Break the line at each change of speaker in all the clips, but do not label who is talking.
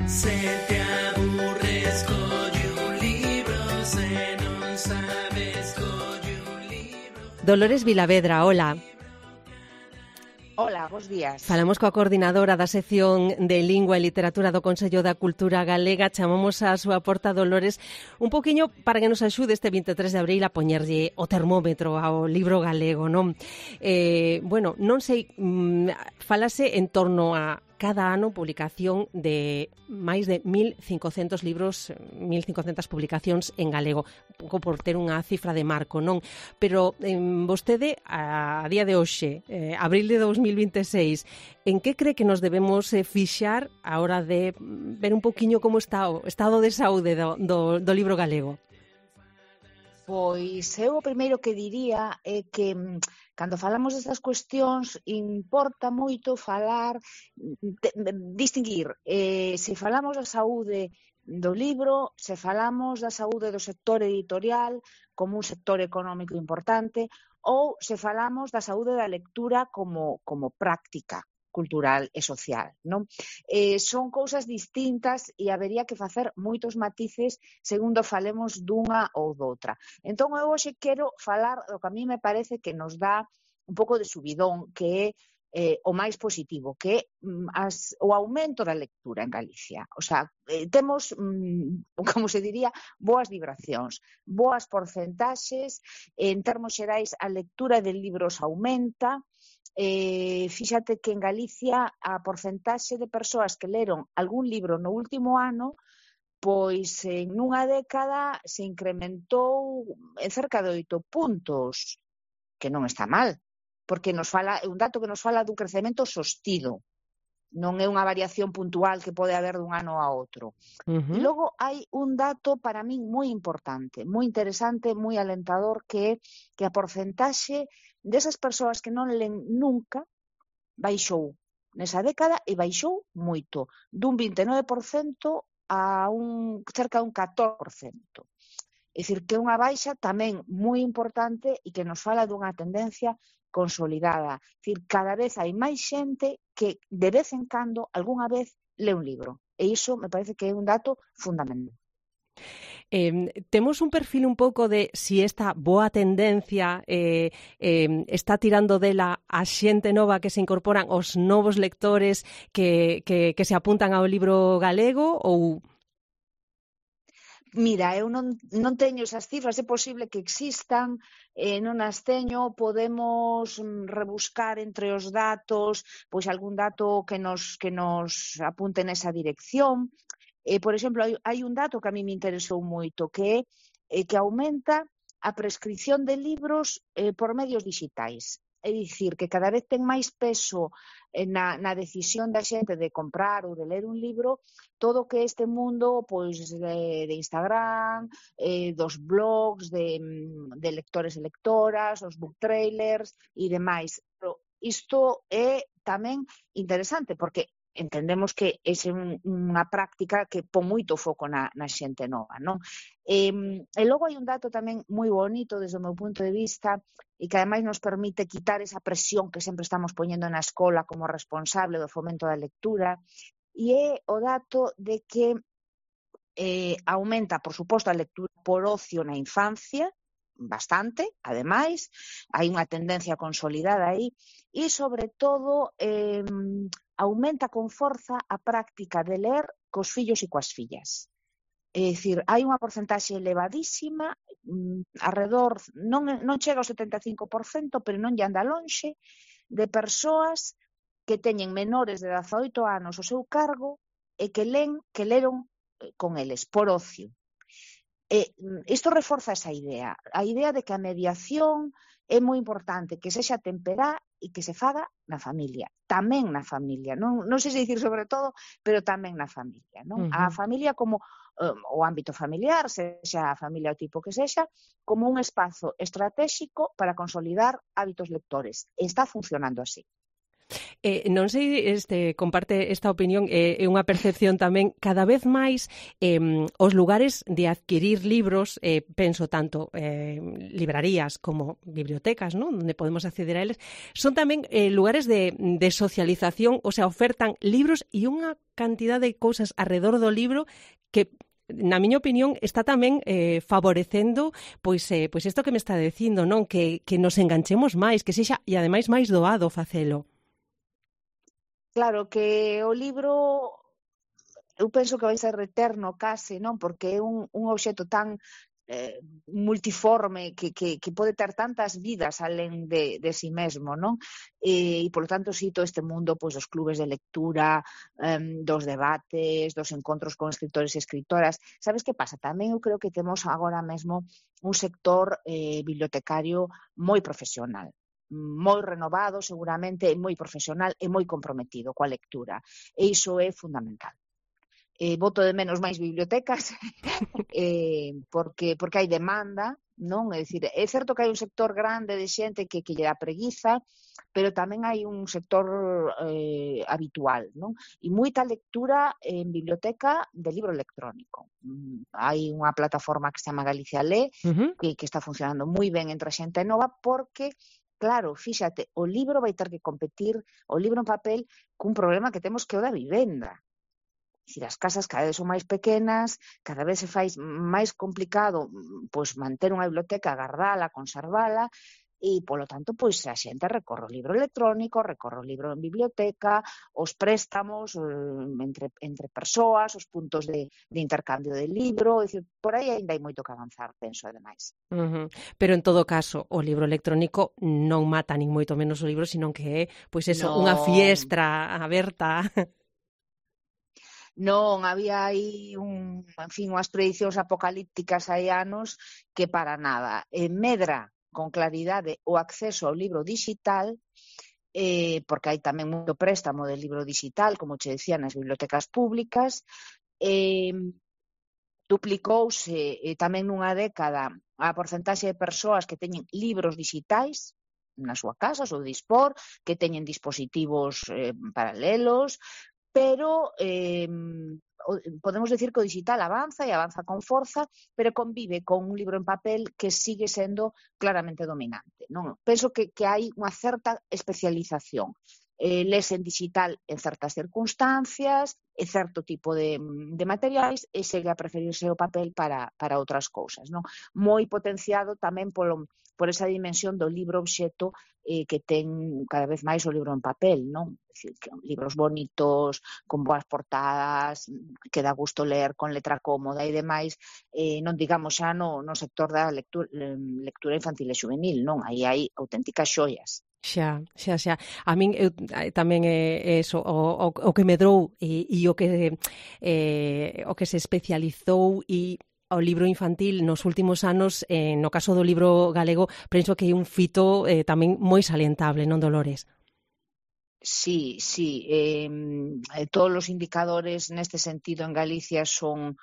Se te aburres, colle un libro, se non sabes, colle un libro.
Dolores Vilavedra, hola.
Hola, bons días.
Falamos coa coordinadora da sección de Lingua e Literatura do Consello da Cultura Galega. Chamamos a súa porta Dolores un poquinho para que nos axude este 23 de abril a poñerlle o termómetro ao libro galego, non? Non sei, falase en torno a cada ano publicación de máis de 1.500 libros, 1.500 publicacións en galego, un pouco por ter unha cifra de marco, non? Pero vostede, a día de hoxe, abril de 2026, en que cree que nos debemos fixar a hora de ver un poquinho como está o estado de saúde do libro galego?
Pois eu o primeiro que diría é que cando falamos destas cuestións importa moito distinguir se falamos da saúde do libro, se falamos da saúde do sector editorial como un sector económico importante ou se falamos da saúde da lectura como práctica cultural e social, non? Son cousas distintas e habería que facer moitos matices segundo falemos dunha ou doutra. Entón, eu hoxe quero falar do que a mí me parece que nos dá un pouco de subidón, que é o máis positivo, que é o aumento da lectura en Galicia. O sea, temos, como se diría, boas vibracións, boas porcentaxes, en termos xerais a lectura de libros aumenta. Fíxate que en Galicia a porcentaxe de persoas que leron algún libro no último ano, pois en nunha década se incrementou en cerca de 8 puntos, que non está mal, porque é un dato que nos fala dun crecemento sostido, non é unha variación puntual que pode haber dun ano a outro. E logo hai un dato para min moi importante, moi interesante, moi alentador, que é que a porcentaxe desas persoas que non len nunca baixou nesa década e baixou moito, dun 29% a cerca dun 14%. É dicir, que é unha baixa tamén moi importante e que nos fala dunha tendencia consolidada. É dicir, cada vez hai máis xente que de vez en cando, algunha vez, lê un libro. E iso me parece que é un dato fundamental.
Temos un perfil un pouco de si esta boa tendencia está tirando dela a xente nova que se incorporan, os novos lectores que se apuntan ao libro galego ou...
Mira, eu non teño esas cifras, é posible que existan, non as teño, podemos rebuscar entre os datos, pois algún dato que nos apunte nesa dirección. Por exemplo, hai un dato que a mí me interesou moito, que é que aumenta a prescripción de libros por medios digitais. É dicir, que cada vez ten máis peso na decisión da xente de comprar ou de ler un libro todo o que este mundo pois de Instagram, dos blogs, de lectores e lectoras, os book trailers e demais. Pero isto é tamén interesante porque entendemos que é unha práctica que pon moito foco na xente nova, non? E logo hai un dato tamén moi bonito desde o meu punto de vista e que ademais nos permite quitar esa presión que sempre estamos poñendo na escola como responsable do fomento da lectura, e é o dato de que aumenta, por suposto, a lectura por ocio na infancia, bastante, ademais, hai unha tendencia consolidada aí, e sobre todo aumenta con forza a práctica de ler cos fillos e coas fillas. É dicir, hai unha porcentaxe elevadísima, alrededor, non chega ao 75%, pero non lle anda lonxe, de persoas que teñen menores de 18 anos ao seu cargo e que leron con eles, por ocio. Isto reforza esa idea, a idea de que a mediación é moi importante, que sexa temperá e que se faga na familia, tamén na familia, non sei se dicir sobre todo, pero tamén na familia, non? A familia como o ámbito familiar, sexa a familia o tipo que sexa, como un espazo estratégico para consolidar hábitos lectores. Está funcionando así.
Non sei, comparte esta opinión, é unha percepción tamén cada vez máis os lugares de adquirir libros, penso tanto librarías como bibliotecas, ¿no?, onde podemos acceder a eles, son tamén lugares de socialización, o sea, ofertan libros e unha cantidad de cousas arredor do libro que na miña opinión está tamén favorecendo pois isto que me está dicindo, non? Que nos enganchemos máis, que sexa e ademais máis doado facelo.
Claro que o libro eu penso que vai ser eterno case, non? Porque é un obxecto tan multiforme que pode ter tantas vidas alén de si mesmo, non? E, polo tanto, si todo este mundo pois, dos clubes de lectura, dos debates, dos encontros con escritores e escritoras. Sabes que pasa? Tamén eu creo que temos agora mesmo un sector bibliotecario moi profesional, moi renovado seguramente, moi profesional e moi comprometido coa lectura. E iso é fundamental. Boto de menos máis bibliotecas porque hai demanda, non? É dicir, é certo que hai un sector grande de xente que lle dá preguiza, pero tamén hai un sector habitual, non? E moita lectura en biblioteca de libro electrónico. Hai unha plataforma que se chama Galicia Lé, que está funcionando moi ben entre a xente nova, porque claro, fíxate, o libro vai ter que competir, o libro en papel, cun problema que temos que o da vivenda. Se as casas cada vez son máis pequenas, cada vez se fai máis complicado pois manter unha biblioteca, gardala, conservala, e, polo tanto, pois a xente recorre o libro electrónico, recorre o libro en biblioteca, os préstamos entre persoas, os puntos de intercambio de libro, é dicir, por aí ainda hai moito que avanzar, penso, ademais.
Pero, en todo caso, o libro electrónico non mata nin moito menos o libro, sino que é, pois eso, unha fiestra aberta.
Non, había aí unhas predicións apocalípticas hai anos que para nada. Medra con claridade o acceso ao libro digital, porque hai tamén moito préstamo de libro digital, como che decía, nas bibliotecas públicas, duplicouse tamén nunha década a porcentaxe de persoas que teñen libros digitais na súa casa, ou dispor, que teñen dispositivos paralelos, pero podemos decir que o digital avanza e avanza con forza, pero convive con un libro en papel que sigue sendo claramente dominante, non? Penso que hai unha certa especialización. Lese en digital en certas circunstancias, en certo tipo de materiais, e segue a preferirse o papel para outras cousas, non? Moi potenciado tamén por esa dimensión do libro obxecto que ten cada vez máis o libro en papel, non? É dicir, que libros bonitos, con boas portadas, que dá gusto ler con letra cómoda e demais, non digamos xa no sector da lectura infantil e juvenil, non? Aí hai auténticas xoias.
Xa. A min tamén é eso, o que medrou e o que se especializou e ao libro infantil nos últimos anos, no caso do libro galego, penso que é un fito tamén moi salientable, non, Dolores?
Sí. Todos os indicadores neste sentido en Galicia son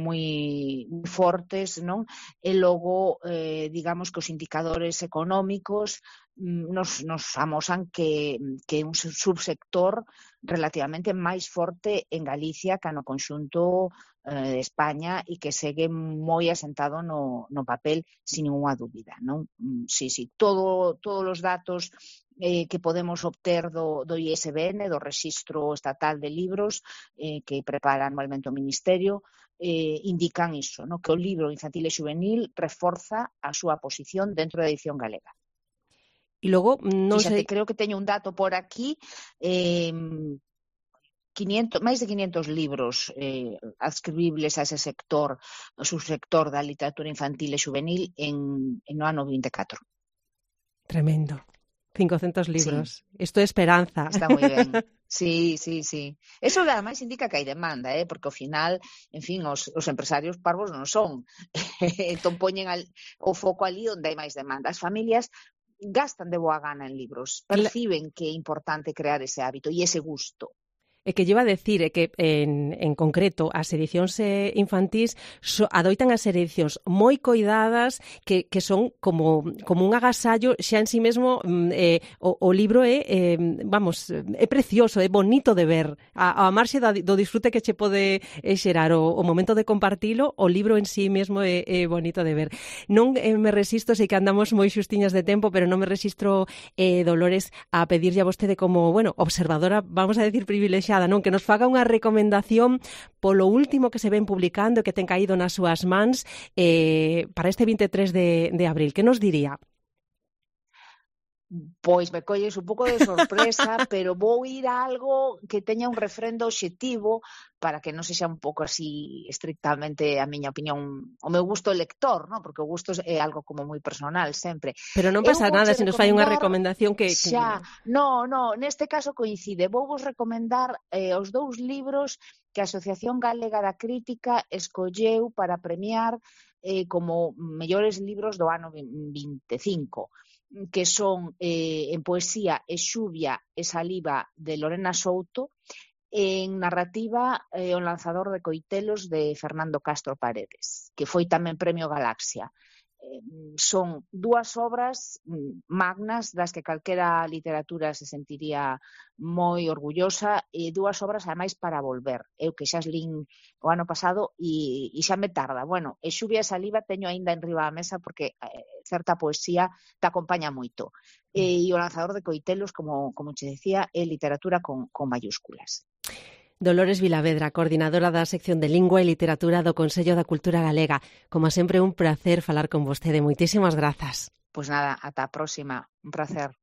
moi fortes, non? E logo, digamos que os indicadores económicos nos amosan que é un subsector relativamente máis forte en Galicia que no conxunto de España e que segue moi asentado no papel, sin ninguna dúbida, non? Sí, todos os datos que podemos obter do ISBN, do Rexistro Estatal de Libros, que prepara anualmente o Ministerio, indican iso, no? Que o libro infantil e juvenil reforza a súa posición dentro da edición galega.
E logo, non sei...
Creo que teño un dato por aquí, máis de 500 libros adscribibles a ese sector, o subsector da literatura infantil e juvenil no ano 24.
Tremendo. 500 libros. Sí. Isto é esperanza.
Está moi ben. Sí. Eso ademais indica que hai demanda, porque ao final, en fin, os empresarios parvos non son. Entón poñen o foco ali onde hai máis demanda. As familias gastan de boa gana en libros, perciben que é importante crear ese hábito e ese gusto.
que lleva a decir que en concreto as edicións infantís adoitan a ser edicións moi coidadas que son como un agasallo xa en sí mesmo. O libro é precioso, é bonito de ver. A marxe do disfrute que che pode xerar o momento de compartilo, o libro en sí mesmo é bonito de ver. Non me resisto, sei que andamos moi xustiñas de tempo, pero non me resisto, Dolores, a pedirlle a vostede como, observadora, vamos a decir privilexiada, non, que nos faga unha recomendación polo último que se ven publicando e que ten caído nas súas mans para este 23 de abril. Que nos diría?
Pois me colles un pouco de sorpresa, pero vou ir a algo que teña un refrendo obxectivo para que non sexa un pouco así estrictamente a miña opinión, o meu gusto lector, non? Porque o gusto é algo como moi personal sempre.
Pero non pasa nada se nos fai unha recomendación que...
Xa, neste caso coincide. Vou vos recomendar os 2 libros que a Asociación Galega da Crítica escolleu para premiar como mellores libros do ano 25, que son en poesía E xuvia e saliva de Lorena Souto, en narrativa O lanzador de coitelos de Fernando Castro Paredes, que foi tamén Premio Galaxia. Son 2 obras magnas das que calquera literatura se sentiría moi orgullosa, e 2 obras ademais para volver. Eu que xa as lín o ano pasado e xa me tarda. E xuvia e saliva teño aínda enriba da mesa porque certa poesía te acompaña moito. E o lanzador de coitelos, como che decía, é literatura con mayúsculas.
Dolores Vilavedra, coordinadora da sección de Lingua e Literatura do Consello da Cultura Galega. Como sempre, un placer falar con vostede. Moitísimas grazas.
Pois nada, ata a próxima. Un placer.